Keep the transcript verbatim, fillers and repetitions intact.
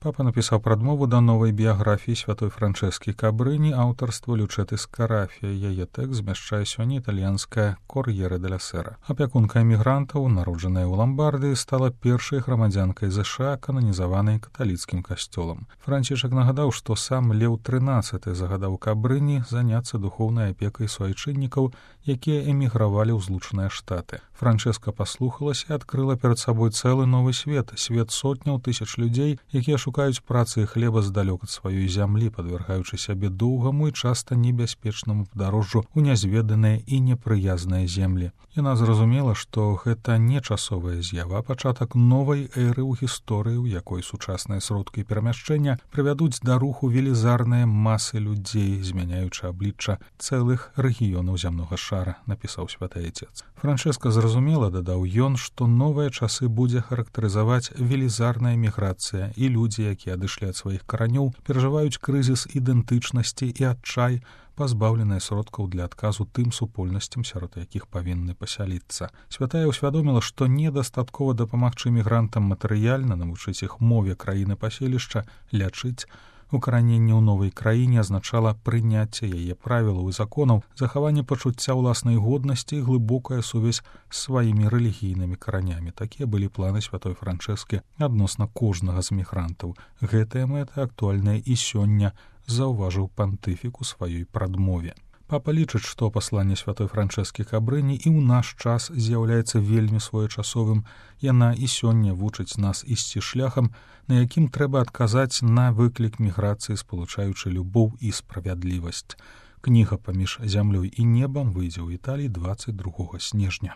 Папа напісаў прадмову да новай біяграфіі святой Франчэскі Кабрыні аўтарства Лючэты Скарафія. Яе тэкст змяшчае сёння італьянская «Кор'ере деля Сера». Апякунка эмігрантаў, народжаная ў Ламбардыі, стала першай грамадзянкай ЗША, кананізаванай каталіцкім касцёлам. Францішак нагадаў, што сам Леў трынаццаты загадаў Кабрыні заняцца духоўнай апекай суайчыннікаў, якія эмігравалі ў Злучаныя Штаты. Франчэска паслухалася і адкрыла перад сабой цэлы новы свет, свет сотняў тысяч людзей, якія шукаюць працы і хлеба здалёк ад сваёй зямлі, падвяргаючы сябе доўгаму і часта небяспечнаму падарожжу ў нязведаныя і непрыязныя землі. Яна зразумела, што гэта не часовая з'ява, а пачатак новай эры ў гісторыі, у якой сучасныя сродкі перамяшчэння прывядуць да руху велізарныя масы людзей, змяняючы аблічча цэлых рэгіёнаў зямнога шара, напісаў святы Айцец. Франчэска зразумела, дадаў ён, што новыя часы будзе характарызаваць велізарная міграцыя, і людзі, якія адышлі ад сваіх каранёў, перажываюць крызіс ідэнтычнасці і адчай, пазбаўленыя сродкаў для адказу тым супольнасцям, сярод якіх павінны пасяліцца. Святая ўсвядоміла, што недастаткова дапамагчы мігрантам матэрыяльна, навучыць іх мове краіны паселішча, лячыць. Укараненне ў новай краіне азначала прыняцце яе правілаў і законаў, захаванне пачуцця ўласнай годнасці і глыбокая сувязь з сваімі рэлігійнымі каранямі. Такія былі планы святой Франчэскі адносна кожнага з мігрантаў. Гэтая мэта актуальная і сёння, заўважыў пантыфік у сваёй прадмове. Папа лічыць, што пасланне святой Франчэскі Кабрыні і ў наш час з'яўляецца вельмі своечасовым. Яна і сёння вучыць нас ісці шляхам, на якім трэба адказаць на выклік міграцыі, спалучаючы любоў і справядлівасць. Кніга «Паміж зямлёй і небам» выйдзе ў Італіі дваццаць другога снежня.